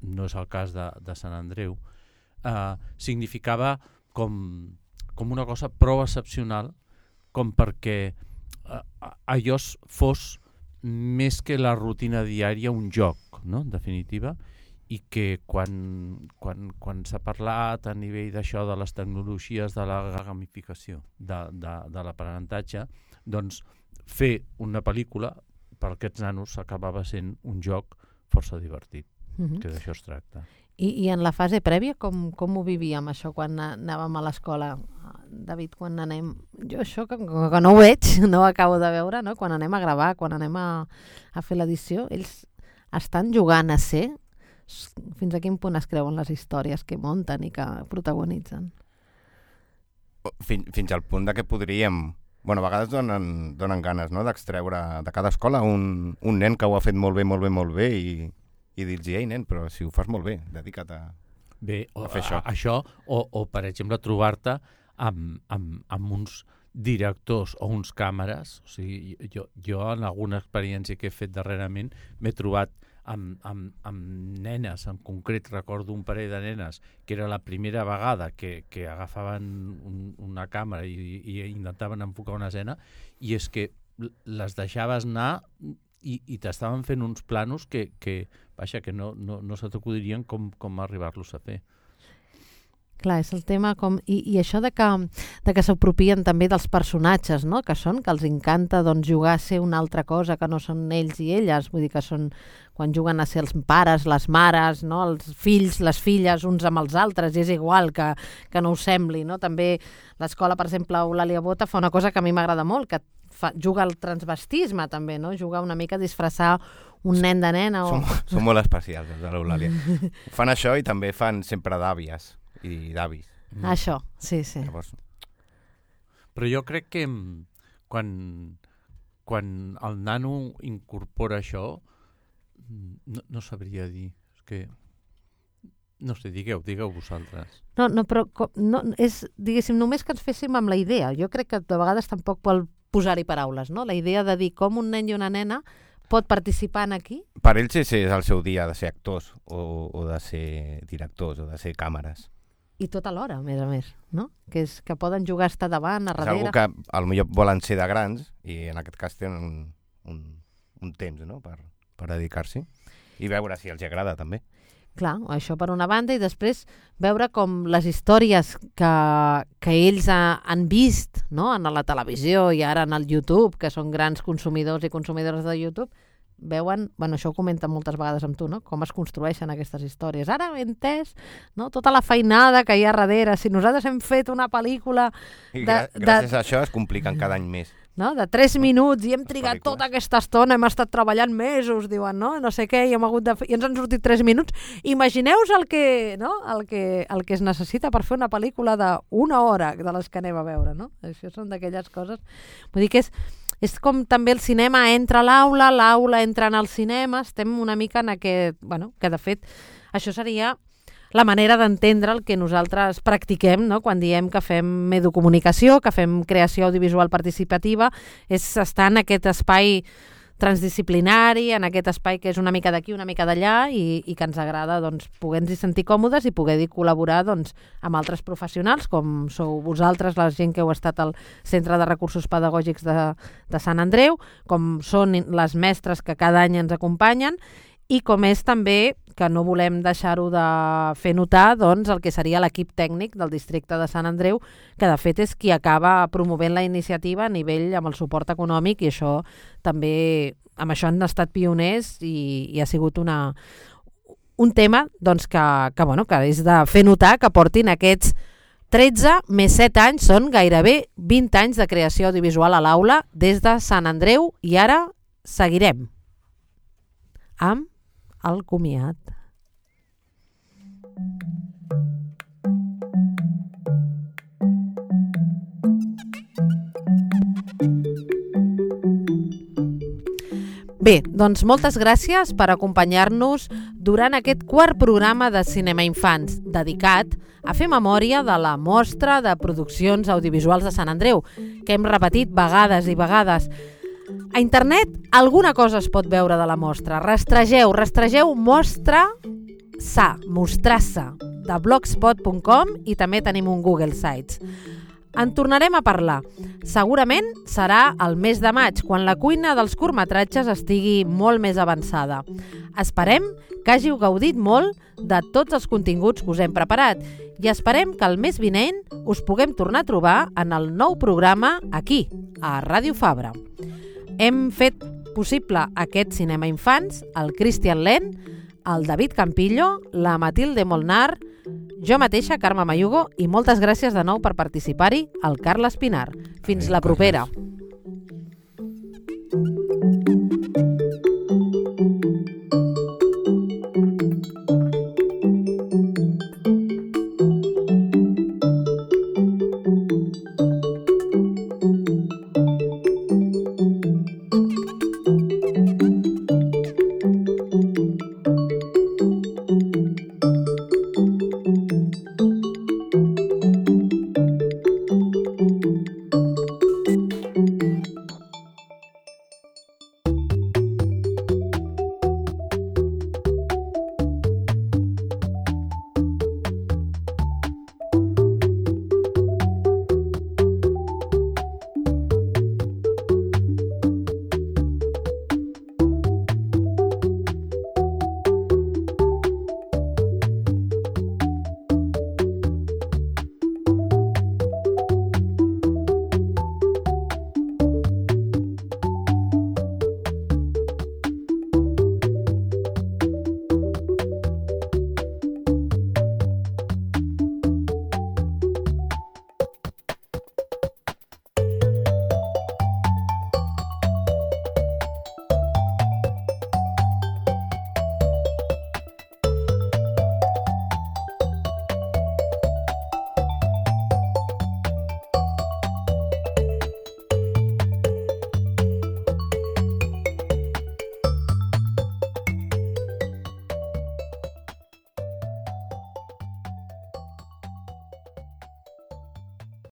no és el cas de, de Sant Andreu, eh, significava com, com una cosa prou excepcional com perquè allò fos més que la rutina diària un joc, no? En definitiva, i que quan, quan, quan s'ha parlat a nivell d'això de les tecnologies de la gamificació de, de, de l'aprenentatge, doncs fer una pel·lícula per aquests nanos acabava sent un joc força divertit, Mhm. que d'això es tracta. I, I en la fase prèvia, com, com ho vivíem, això, quan anàvem a l'escola? David, quan anem... Jo això, que, que no ho veig, no ho acabo de veure, no? Quan anem a gravar, quan anem a, a fer l'edició, ells estan jugant a ser? Fins a quin punt es creuen les històries que munten i que protagonitzen? Fins, fins al punt de que podríem... Bueno, a vegades donen, donen ganes, no?, d'extreure de cada escola un, un nen que ho ha fet molt bé, molt bé, molt bé i, i dir-los, ei, nen, però si ho fas molt bé, dedica't a, bé, o, a fer això. A, això o, o, per exemple, trobar-te amb, amb, amb uns directors o uns càmeres. O sigui, jo, jo en alguna experiència que he fet darrerament m'he trobat amb, amb, amb nenes, en concret recordo un parell de nenes que era la primera vegada que, que agafaven un, una càmera i, i intentaven enfocar una escena, i és que les deixaves anar i, i t'estaven fent uns planos que, que, vaja, que no, no, no se t'acudirien com, com arribar-los a fer. Clar, és el tema com... I, i això de que, de que s'apropien també dels personatges, no?, que són, que els encanta doncs, jugar a ser una altra cosa que no són ells i elles, vull dir que són quan juguen a ser els pares, les mares, no?, els fills, les filles, uns amb els altres, i és igual que, que no ho sembli, no? També l'escola, per exemple, Eulàlia Bota fa una cosa que a mi m'agrada molt, que fa, juga al transvestisme també, no?, juga una mica a disfressar un nen de nena. O... Som, som molt especials, els de l'Eulàlia. Fan això i també fan sempre d'àvies i d'avis. Mm. Això, sí, sí. Llavors... Però jo crec que quan, quan el nano incorpora això, no, no sabria dir. És que... No sé, digueu, digueu vosaltres. No, no, però no, és, diguéssim, només que ens féssim amb la idea. Jo crec que de vegades tampoc vol posar-hi paraules, no? La idea de dir com un nen i una nena pot participar en aquí? Per ells és, és el seu dia de ser actors o, o de ser directors o de ser càmeres. I tot alhora, a més a més, no? Que és que poden jugar a estar davant, a darrere... És algo que potser volen ser de grans i en aquest cas tenen un, un, un temps, no?, per, per dedicar-s'hi i veure si els agrada també. Clar, això per una banda, i després veure com les històries que, que ells ha, han vist, no?, en la televisió i ara en el YouTube, que són grans consumidors i consumidores de YouTube, veuen, bueno, això ho comenten moltes vegades amb tu, no?, com es construeixen aquestes històries. Ara he entès, no?, tota la feinada que hi ha darrere. Si nosaltres hem fet una pel·lícula... I de, gràcies de... a això es compliquen cada any més. No? De tres minuts i hem trigat tota aquesta estona, hem estat treballant mesos, diuen, no? No sé què, i, hem hagut de fer... i ens han sortit tres minuts. Imagineu-vos el que, no? el, que, el que es necessita per fer una pel·lícula d'una hora de les que anem a veure, no? Això són d'aquelles coses... Vull dir que és, és com també el cinema entra a l'aula, l'aula entra en el cinema, estem una mica en aquest... Bueno, que de fet això seria... la manera d'entendre el que nosaltres practiquem, no?, quan diem que fem educomunicació, que fem creació audiovisual participativa, és estar en aquest espai transdisciplinari, en aquest espai que és una mica d'aquí, una mica d'allà, i, i que ens agrada doncs, poder-nos sentir còmodes i poder col·laborar doncs, amb altres professionals, com sou vosaltres, la gent que heu estat al Centre de Recursos Pedagògics de, de Sant Andreu, com són les mestres que cada any ens acompanyen, i com és també, que no volem deixar-ho de fer notar, doncs, el que seria l'equip tècnic del districte de Sant Andreu, que de fet és qui acaba promovent la iniciativa a nivell amb el suport econòmic, i això també, amb això han estat pioners i, i ha sigut una, un tema doncs, que, que, bueno, que és de fer notar que portin aquests tretze més set anys, són gairebé vint anys de creació audiovisual a l'aula des de Sant Andreu, i ara seguirem amb el comiat. Bé, doncs moltes gràcies per acompanyar-nos durant aquest quart programa de Cinema Infants, dedicat a fer memòria de la mostra de produccions audiovisuals de Sant Andreu, que hem repetit vegades i vegades. A internet alguna cosa es pot veure de la mostra. Rastregeu, rastregeu mostra sa, mostrassa, de blogspot punt com, i també tenim un Google Sites. En tornarem a parlar. Segurament serà el mes de maig, quan la cuina dels curtmetratges estigui molt més avançada. Esperem que hàgiu gaudit molt de tots els continguts que us hem preparat i esperem que el mes vinent us puguem tornar a trobar en el nou programa aquí, a Ràdio Fabra. Hem fet possible aquest cinema infants, el Cristian Len, el David Campillo, la Matilde Molnar, jo mateixa, Carme Mayugo, i moltes gràcies de nou per participar-hi, el Carles Pinar. Fins la propera.